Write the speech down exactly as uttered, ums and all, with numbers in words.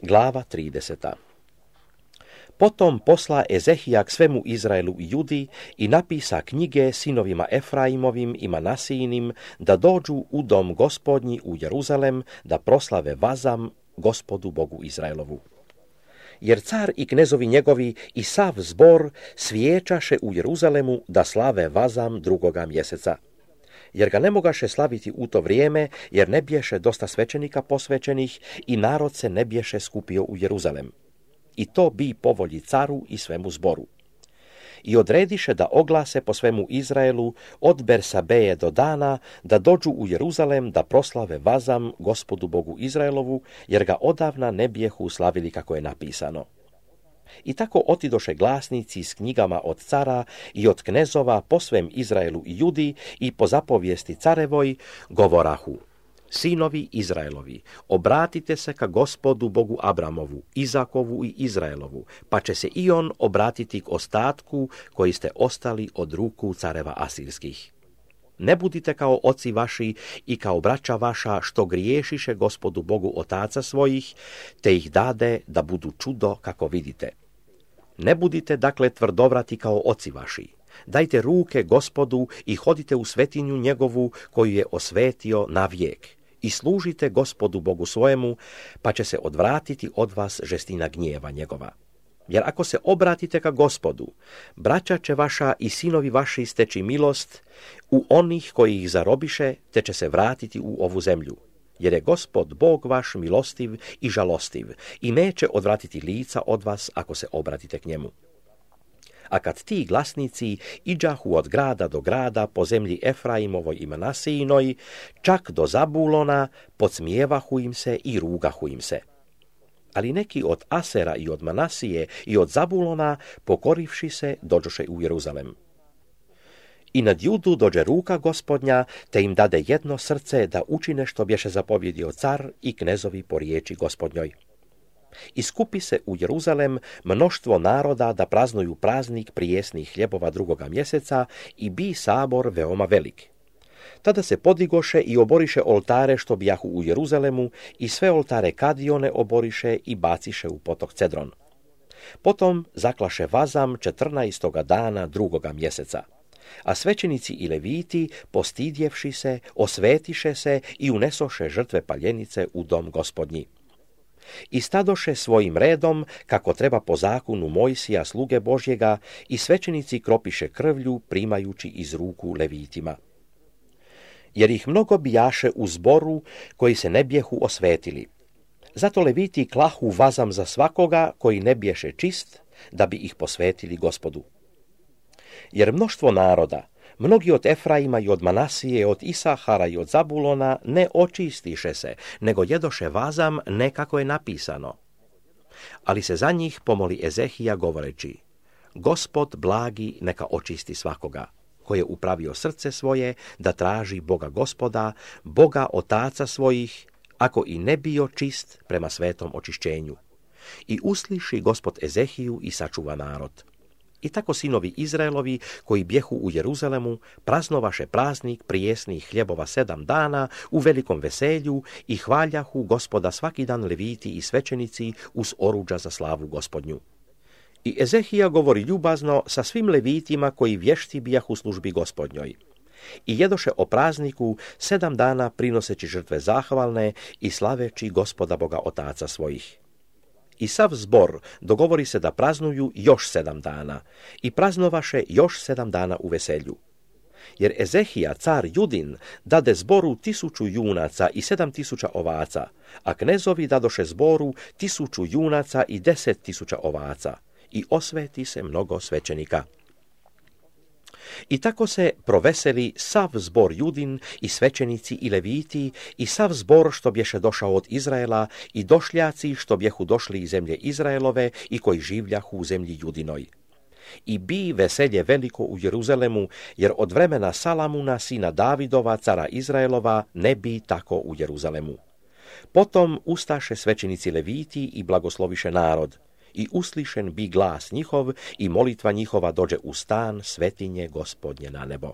Glava trideseta. Potom posla Ezehija k svemu Izraelu i Judi i napisa knjige sinovima Efraimovim i Manasijinim da dođu u dom Gospodnji u Jeruzalem da proslave vazam Gospodu Bogu Izraelovu. Jer car i knezovi njegovi i sav zbor svijećaše u Jeruzalemu da slave vazam drugoga mjeseca. Jer ga ne mogaše slaviti u to vrijeme, jer ne bješe dosta svećenika posvećenih i narod se ne bješe skupio u Jeruzalem. I to bi po volji caru i svemu zboru. I odrediše da oglase po svemu Izraelu od Bersabeje do Dana, da dođu u Jeruzalem da proslave vazam Gospodu Bogu Izraelovu, jer ga odavna ne bijehu slavili kako je napisano. I tako otidoše glasnici s knjigama od cara i od knezova po svem Izraelu i Judi i po zapovijesti carevoj govorahu: Sinovi Izraelovi, obratite se ka Gospodu Bogu Abramovu, Izakovu i Izraelovu, pa će se i on obratiti k ostatku koji ste ostali od ruku careva asirskih. Ne budite kao oci vaši i kao braća vaša što griješiše Gospodu Bogu otaca svojih, te ih dade da budu čudo kako vidite. Ne budite dakle tvrdovrati kao oci vaši. Dajte ruke Gospodu i hodite u svetinju njegovu koju je osvetio na vijek. I služite Gospodu Bogu svojemu, pa će se odvratiti od vas žestina gnjeva njegova. Jer ako se obratite ka Gospodu, braća će vaša i sinovi vaši steći milost u onih koji ih zarobiše, te će se vratiti u ovu zemlju. Jer je Gospod Bog vaš milostiv i žalostiv i neće odvratiti lica od vas ako se obratite k njemu. A kad ti glasnici iđahu od grada do grada po zemlji Efraimovoj i Manasijinoj, čak do Zabulona, podsmijevahu im se i rugahu im se. Ali neki od Asera i od Manasije i od Zabulona, pokorivši se, dođoše u Jeruzalem. I nad Judu dođe ruka Gospodnja, te im dade jedno srce da učine što bješe zapovjedio car i knezovi po riječi Gospodnjoj. I skupi se u Jeruzalem mnoštvo naroda da praznuju praznik prijesnih hljebova drugoga mjeseca i bi sabor veoma velik. Tada se podigoše i oboriše oltare što bijahu u Jeruzalemu i sve oltare Kadione oboriše i baciše u potok Cedron. Potom zaklaše vazam četrnaestoga dana drugoga mjeseca. A svećenici i leviti, postidjevši se, osvetiše se i unesoše žrtve paljenice u dom Gospodnji. I stadoše svojim redom, kako treba po zakonu Mojsija sluge Božjega, i svećenici kropiše krvlju, primajući iz ruku levitima. Jer ih mnogo bijaše u zboru, koji se ne bijehu osvetili. Zato leviti klahu vazam za svakoga koji ne biješe čist, da bi ih posvetili Gospodu. Jer mnoštvo naroda, mnogi od Efraima i od Manasije, od Isahara i od Zabulona ne očistiše se, nego jedoše vazam ne kako je napisano. Ali se za njih pomoli Ezehija govoreći: Gospod blagi neka očisti svakoga, ko je upravio srce svoje da traži Boga Gospoda, Boga otaca svojih, ako i ne bio čist prema svetom očišćenju. I usliši Gospod Ezehiju i sačuva narod. I tako sinovi Izraelovi, koji bjehu u Jeruzalemu, praznovaše praznik prijesnih hljebova sedam dana u velikom veselju i hvaljahu Gospoda svaki dan leviti i svećenici uz oruđa za slavu Gospodnju. I Ezehija govori ljubazno sa svim levitima koji vješti bijahu službi Gospodnjoj. I jedoše o prazniku sedam dana prinoseći žrtve zahvalne i slaveći Gospoda Boga otaca svojih. I sav zbor dogovori se da praznuju još sedam dana i praznovaše još sedam dana u veselju. Jer Ezehija, car Judin, dade zboru tisuću junaca i sedam tisuća ovaca, a knezovi dadoše zboru tisuću junaca i deset tisuća ovaca, i osveti se mnogo svećenika. I tako se proveseli sav zbor Judin i svećenici i leviti i sav zbor što bješe došao od Izraela i došljaci što bjehu došli iz zemlje Izraelove i koji življahu u zemlji Judinoj. I bi veselje veliko u Jeruzalemu, jer od vremena Salamuna, sina Davidova, cara Izraelova, ne bi tako u Jeruzalemu. Potom ustaše svećenici leviti i blagosloviše narod. I uslišen bi glas njihov i molitva njihova dođe u stan svetinje Gospodnje na nebo.